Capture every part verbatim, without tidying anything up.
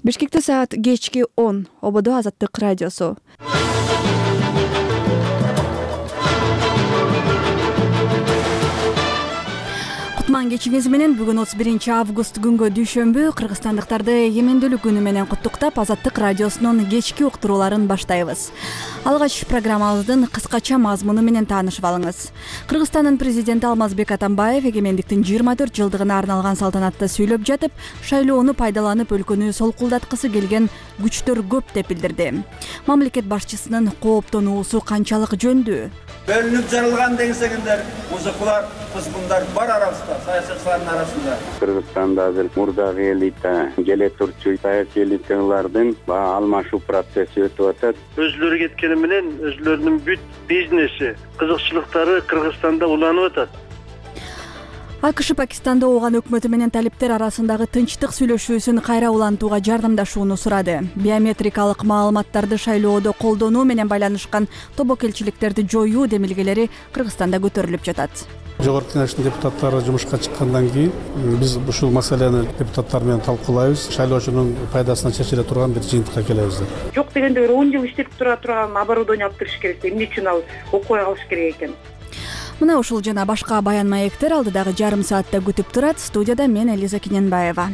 Бишкекте саат кечки он. Ободо Азаттык радиосу. Кутман кечиңиз менен бүгүн отуз биринчи август күнгө дүйшөмбү кыргызстандыктарды эгемендүүлүк күнү менен куттуктап Азаттык радиосунун кечки уктурууларын баштайбыз. Алгач программабыздын кыскача мазмуну менен таанышып алыңыз. Кыргызстандын президенти Алмазбек Атамбаев эгемендиктин жыйырма төрт жылдыгына арналган салтанатта сүйлөп жатып, шайлоону пайдаланып өлкөнү солкулдаткысы келген күчтөр көп деп билдирди. Мамлекет башчысынын кооптонуусу канчалык жөндүү? Бөлүнүп жарылган деңсеңиздер, музыкалар, кызгындар бар арабызда, саясатчылардын арасында. Кыргызстанда азыр мурдагы элита, келе турчу саясий элиталардын алмашуу процесси өтүп атат. Өзлөрү кеткени менен өзлөрүнүн бүт бизнеси, кызыкчылыктары Кыргызстанда уланып атат. АКШ Пакистанда ооган өкмөтү менен талиптер арасындагы тынчтык сүйлөшүүсүн кайра улантууга жардамдашууну сурады. Биометрикалык маалыматтарды шайлоодо колдонуу менен байланышкан тобокелчиликтерди жоюу демилгелери Кыргызстанда көтөрүлүп жатат. Жогорку Кеңештин депутаттары жумушка чыккандан кийин биз ушул маселени депутаттар менен талкуулайбыз. Шайлоочунун пайдасына чечиле турган бир жыйынтыкка келебиз. Жок дегенде бир он жыл иштеп тура турган оборудование алып бериш керек. Эмне үчүн ал окуй калыш керек экен? Мына ушул жана башка баян маектер алдыдагы жарым саатта күтүп турат. Студияда мен Элиза Кененбаева.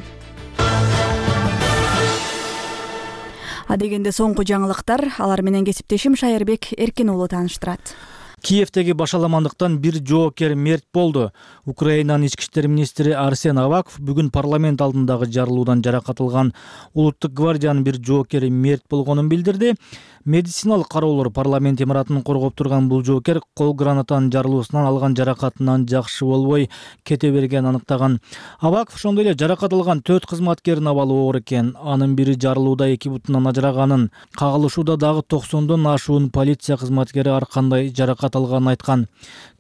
Адегенде соңку жаңылыктар, алар менен кесиптешим Шайырбек Эркин уулу тааныштырат. Киевдеги башаламандыктан бир жоокер мерт болду. Украинанын ички иштер министри Арсен Аваков бүгүн парламент алдындагы жарылуудан жаракат алган улуттук гвардиянын бир жоокери мерт болгонун билдирди. Медициналык кароолор парламент имаратын коргоп турган бул жоокер кол гранатанын жарылуусунан алган жаракатынан жакшы болбой кете бергенин аныктаган. Аваков ошондой эле жаракат алган төрт кызматкердин абалы оор экен. Анын бири жарылууда эки бутунан ажыраганын, кагылышууда дагы токсондон ашуун полиция кызматкери ар кандай жаракат алганын айткан.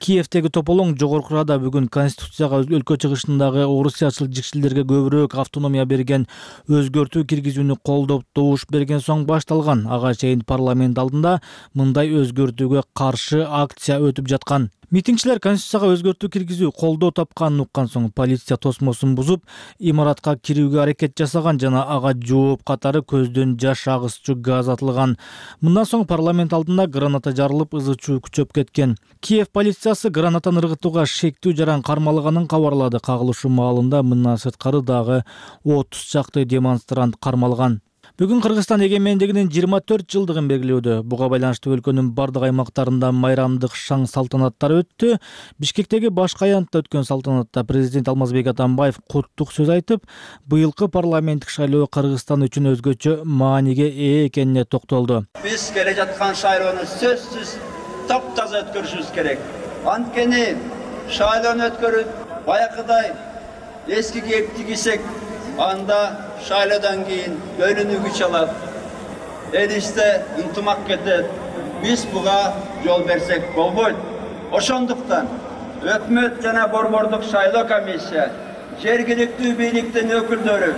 Киевдеги тополоң жогоркурада бүгүн Конституцияга өлкө чыгышындагы орусчачыл жикшилдерге көбүрөөк автономия берген өзгөртүү киргизүүнү колдоп добуш берген соң башталган. Ага чейин парламент алдында мындай өзгөртүүгө каршы акция өтүп жаткан. Митингчилер Конституцияга өзгөртүү киргизүү колдоо тапканын уккан соң полиция тосмосун бузуп, имаратка кирүүгө аракет жасаган жана ага жооп катары көздөн жаш агызчу газ атылган. Мындан соң парламент алдында граната жарылып, ызы чуу күчөп кеткен. Киев полициясы гранатаны ыргытууга шектүү жаран кармалганын кабарлады. Кагылышуу маалында мындан сырткары дагы отуз чакты демонстрант кармалган. Бүгүн Кыргызстан эгемендигинин жыйырма төрт жылдыгын белгилөөдө. Буга байланыштуу өлкөнүн бардык аймактарында майрамдык шаң салтанаттар өттү. Бишкектеги башкы аянтта өткөн салтанатта президент Алмазбек Атамбаев куттук сөз айтып, быйылкы парламенттик шайлоо Кыргызстан үчүн өзгөчө мааниге ээ экенине токтолду. Биз келе жаткан шайлоону сөзсүз таптаза өткөрүшүбүз керек. Анткени шайлоону өткөрүп баягыдай эски кийип кийсек, анда шайлоодан кийин бөлүнүү күч алат. Элисте ынтымак кетет. Биз буга жол берсек болбойт. Ошондуктан өкмөт жана борбордук шайлоо комиссия, жергиликтүү бийликтин өкүлдөрү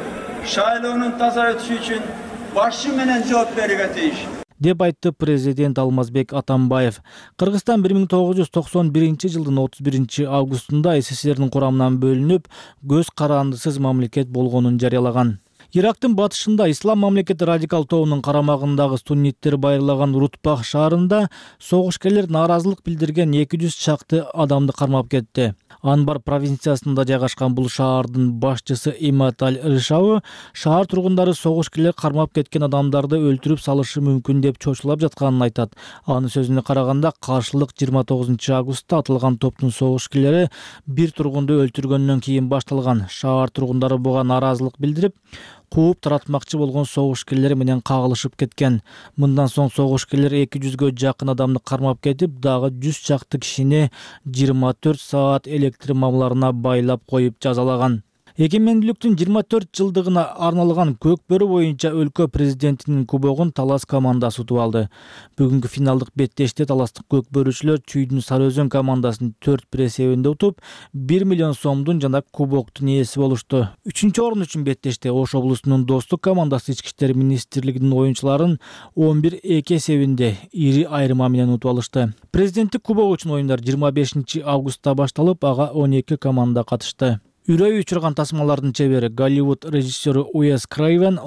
шайлоонун таза өтүшү үчүн башы менен жооп берүүгө тийиш деп айтты президент Алмазбек Атамбаев. Кыргызстан бир миң тогуз жүз токсон биринчи жылдын отуз биринчи августунда СССРдин курамынан бөлүнүп, көз карандысыз мамлекет болгонун жарыялаган. Ирактын батышында Ислам мамлекети радикал тобунун карамагындагы сунниттер байырлаган Рутбах шаарында согушкерлер нааразылык билдирген эки жүз чакты адамды кармап кетти. Анбар провинциясында жайгашкан бул шаардын башчысы Имат Аль-Рышауи шаар тургундары согушкерлер кармап кеткен адамдарды өлтүрүп салышы мүмкүн деп чочулап жатканын айтат. Анын сөзүнө караганда, каршылык жыйырма тогузунчу августта атылган топтун согушкерлери бир тургунду өлтүргөндөн кийин башталган. Шаар тургундары буга нааразылык билдирип, кууп таратмакчы болгон согушкерлер менен кагылышып кеткен. Мындан соң согушкерлер эки жүзгө жакын адамды кармап кетип, дагы жүз чакты кишини жыйырма төрт саат электр мамларына байлап коюп жазалаган. Эгемендүүлүктүн жыйырма төрт жылдыгына арналган көкбөрү боюнча өлкө президентинин кубогун Талас командасы утуп алды. Бүгүнкү финалдык беттеште таластык көкбөрүчүлөр Чүйдүн Сары Өзөн командасын төрт бир эсебинде утуп, бир миллион сомдун жана кубоктун ээси болушту. Үчүнчү орун үчүн беттеште Ош облусунун Достук командасы ички иштер министрлигинин оюнчуларын он бир эки эсебинде ири айырма менен утуп алышты. Президенттик кубок үчүн оюндар жыйырма бешинчи августта башталып, ага он эки команда катышты. Үрөй учурган тасмалардын чебери Голливуд режиссеру Уэс Крейвен